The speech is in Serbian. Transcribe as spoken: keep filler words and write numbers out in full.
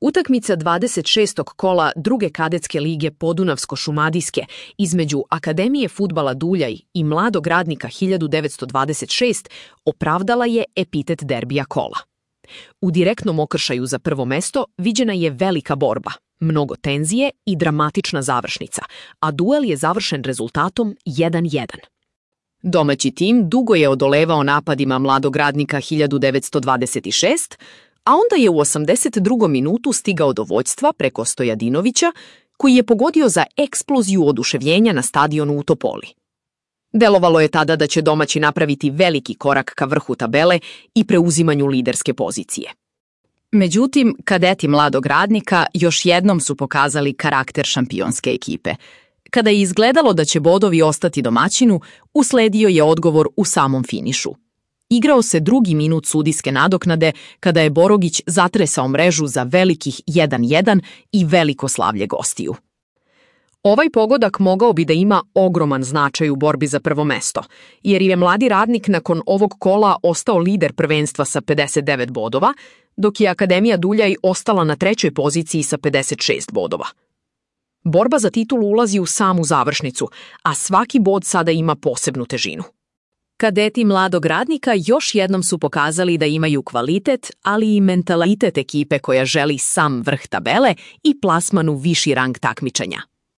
Utakmica dvadeset šestog kola druge kadetske lige Podunavsko-šumadijske između Akademije fudbala Duljaj i Mladog radnika hiljadu devetsto dvadeset šest opravdala je epitet derbija kola. U direktnom okršaju za prvo mesto viđena je velika borba, mnogo tenzije i dramatična završnica, a duel je završen rezultatom jedan jedan. Domaći tim dugo je odolevao napadima Mladog radnika hiljadu devetsto dvadeset šest, a onda je u osamdeset drugom minutu stigao do vođstva preko Stojadinovića, koji je pogodio za eksploziju oduševljenja na stadionu u Topoli. Delovalo je tada da će domaći napraviti veliki korak ka vrhu tabele i preuzimanju liderske pozicije. Međutim, kadeti Mladog radnika još jednom su pokazali karakter šampionske ekipe. Kada je izgledalo da će bodovi ostati domaćinu, usledio je odgovor u samom finišu. Igrao se drugi minut sudijske nadoknade kada je Borogić zatresao mrežu za velikih jedan jedan i veliko slavlje gostiju. Ovaj pogodak mogao bi da ima ogroman značaj u borbi za prvo mesto, jer je Mladi radnik nakon ovog kola ostao lider prvenstva sa pedeset devet bodova, dok je Akademija Duljaj ostala na trećoj poziciji sa pedeset šest bodova. Borba za titulu ulazi u samu završnicu, a svaki bod sada ima posebnu težinu. Kadeti Mladog radnika još jednom su pokazali da imaju kvalitet, ali i mentalitet ekipe koja želi sam vrh tabele i plasman u viši rang takmičenja.